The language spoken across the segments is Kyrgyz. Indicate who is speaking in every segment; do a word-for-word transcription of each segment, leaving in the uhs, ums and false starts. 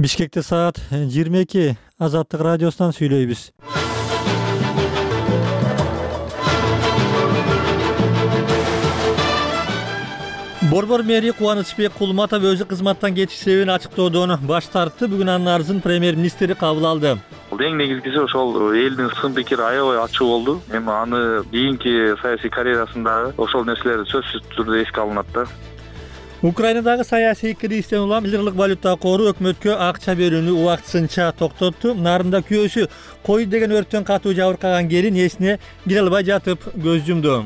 Speaker 1: Бишкекте саат жыйырма эки. Азаттык радиосунан сүйлөйбүз. Борбор мэри Кубанычбек Кулматов өзү кызматтан кетиш себебин ачыктоодон баш тартты. Бүгүн анын арызын премьер-министр кабыл алды.
Speaker 2: Эң негизгиси ошол элдин сын пикири аябай ачуу болду. Эми аны кийинки саясий карьерасында ошол нерселер сөзсүз түрдө эске алынат да.
Speaker 1: Украинадагы саясий кризистен улам лиралык валюта кору өкмөткө акча берүүнү убактысынча токтотту. Нарында күйөөсү кой деген өрттөн катуу жабыркаган келин эсине кире албай жатып көз жумду.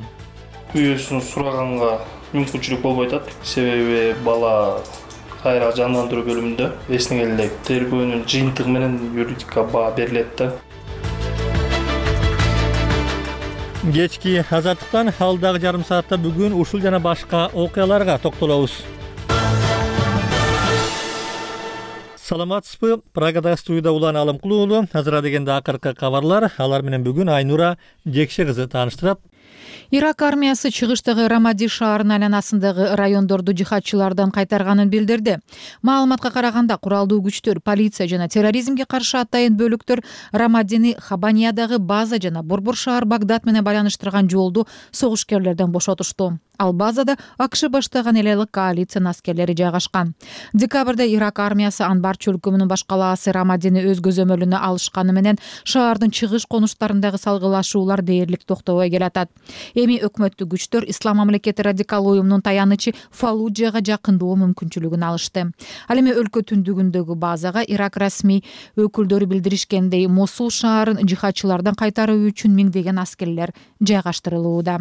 Speaker 3: Күйөөсүн сураганга мүмкүнчүлүк болбой атат. Себеби бала кайра жандандыруу бөлүмүндө эсине элек тергөөнүн жыйынтыгы менен юридика баа берилет да.
Speaker 1: Кечки азаттыктан алдагы жарым саатта бүгүн ушул жана башка окуяларга токтолобуз. Саламатсызбы? Прагада студияда Улан Алымкулуу. Азыр дегенде акыркы кабарлар. Алар менен бүгүн Айнура Жекше кызы тааныштырат.
Speaker 4: Ирак армиясы чыгыштагы Рамади шаарынын айланасындагы райондорду жихадчылардан кайтарганын билдирди. Маалыматка караганда куралдуу күчтөр, полиция жана терроризмге каршы атайын бөлүктөр Рамадини Хабаниядагы база жана Борбор шаар Багдад менен байланыштырган жолду согушкерлерден бошотушту. Ал базада АКШ баштаган элелик коалициянын аскерлери жайгашкан. Декабрда Ирак армиясы Анбар чөлкөмүнүн баш калаасы Рамадини өз көзөмөлүнө алышканы менен шаардын чыгыш конуштарындагы салгылашуулар дээрлик токтобой келатат. Эми өкмөттүк күчтөр Ислам мамлекети радикал уюмунун таянычы Фаллуджага жакындоо мүмкүнчүлүгүн алышты. Ал эми өлкө түндүгүндөгү базага Ирак расмий өкүлдөрү билдиришкендей, Мосул шаарын жихадчылардан кайтаруу үчүн миңдеген аскерлер жайгаштырылууда.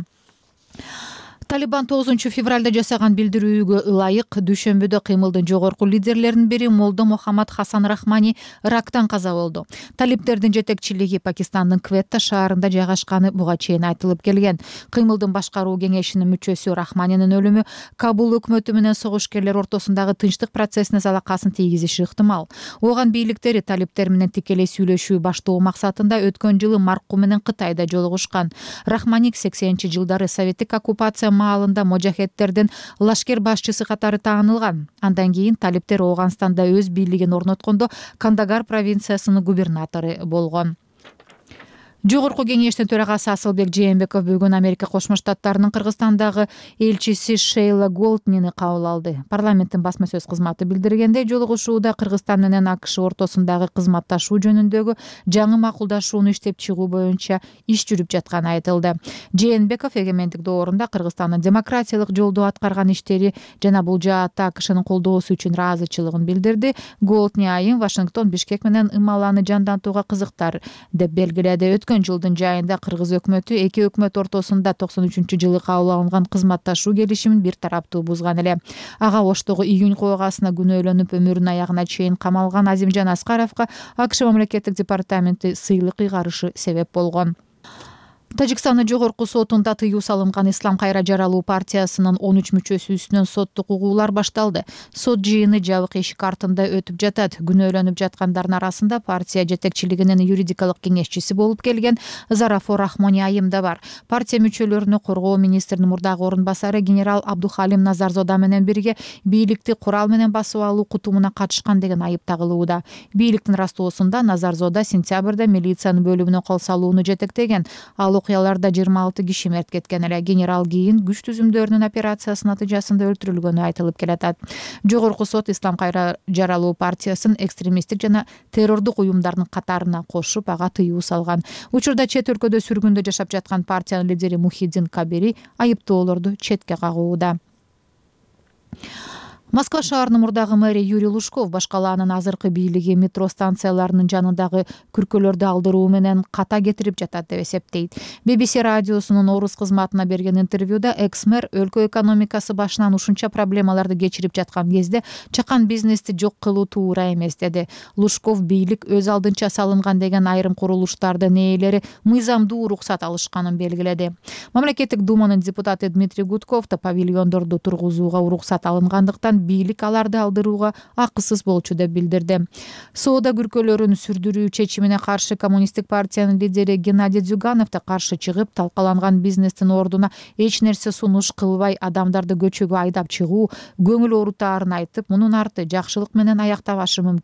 Speaker 4: Талибан тогузунчу февралда жасаган билдирүүгө ылайык дүйшөмбүдө кыймылдын жогорку лидерлеринин бири Молдо Мухаммад Хасан Рахмани рактан каза болду. Талиптердин жетекчилиги Пакистандын Кветта шаарында жайгашканы буга чейин айтылып келген. Кыймылдын башкаруу кеңешинин мүчөсү Рахманинин өлүмү Кабул өкмөтү менен согушкерлер ортосундагы тынчтык процессине залакасын тийгизиши ыктымал. Ооган бийликтери талиптер менен тикелей сүйлөшүү баштоо максатында өткөн жылы Маркку менен Кытайда жолугушкан. Рахманик сексенинчи жылдары советтик оккупация маалында можахеттердин лашкер башчысы катары таанылган. Андан кийин талиптер Ооганстанда өз бийлигин орноткондо Кандагар провинциясынын губернатору болгон. Жогорку кеңештин төрагасы Асылбек Жээнбеков бүгүн Америка Кошмо Штаттарынын Кыргызстандагы элчиси Шейла Голднини кабыл алды. Парламенттин басма сөз кызматы билдиргендей, жолугушууда Кыргызстан менен АКШ ортосундагы кызматташуу жөнүндөгү жаңы макулдашууну иштеп чыгуу боюнча иш жүрүп жатканы айтылды. Жээнбеков эгемендик доорунда Кыргызстандын демократиялык жолдо аткарган иштери жана бул жаатта АКШнын колдоосу үчүн ыраазычылыгын билдирди. Голдни айын Вашингтон Бишкек менен ымаланы жандантууга кызыктар деп белгиледи. Өткөн жылдын жайында кыргыз өкмөтү эки өкмөт ортосунда токсон үчүнчү жылы кабыл алынган кызматташуу келишимин бир тараптуу бузган эле. Ага Оштогу июнь койгасына күнөөлөнүп өмүрүнүн аягына чейин камалган Азимжан Аскаровго АКШ мамлекеттик департаменти сыйлык ыйгарышы себеп болгон. Тажикстандын жогорку сотунда тыюу салынган Ислам кайра жаралуу партиясынын он үч мүчөсү үстүнөн соттук угуулар башталды. Сот жыйыны жабык эшик артында өтүп жатат. Күнөөлөнүп жаткандардын арасында партия жетекчилигинин юридикалык кеңешчиси болуп келген Зарафор Рахмониайым да бар. Партия мүчөлөрүнө коргоо министринин мурдагы орун басары генерал Абдухалим Назарзода менен бирге бийликти курал менен басып алуу кутумуна катышкан деген айып тагылууда. Бийликтин растоосунда Назарзода сентябрда милициянын бөлүмүнө кол салууну жетектеген. Ал окуяларда жыйырма алты киши мерт кеткен эле. Генерал кийин күч түзүмдөрүнүн операциясы натыйжасында өлтүрүлгөнү айтылып келатат. Жогорку сот Ислам кайра жаралуу партиясын экстремисттик жана террордук уюмдардын катарына кошуп, ага тыюу салган. Учурда чет өлкөдө сүргүндө жашап жаткан партиянын лидери Мухиддин Кабири айыптоолорду четке кагууда. Москва шаарынын мурдагы мэри Юрий Лужков баш калаанын азыркы бийлиги метро станцияларынын жанындагы күркөлөрдү алдыруу менен ката кетирип жатат деп эсептейт. би би си радиосунун орус кызматына берген интервьюда экс-мэр өлкө экономикасы башынан ушунча проблемаларды кечирип жаткан кезде чакан бизнести жок кылуу туура эмес деди. Лужков бийлик өз алдынча салынган деген айрым курулуштардын ээлери мыйзамдуу уруксат алышканын белгиледи. Мамлекеттик думанын депутаты Дмитрий Гудков да павильондорду тургузууга уруксат алынгандыктан бийлик аларды алдырууга акысыз болчу деп билдирди. Соода күркөлөрүн сүрдүрүү чечимине каршы коммунисттик партиянын лидери Геннадий Дзюганов да каршы чыгып, талкаланган бизнестин ордуна эч нерсе сунуш кылбай адамдарды көчөгө айдап чыгуу көңүл оорутаарын айтып, мунун арты жакшылык менен аяктабашы мүмкүн.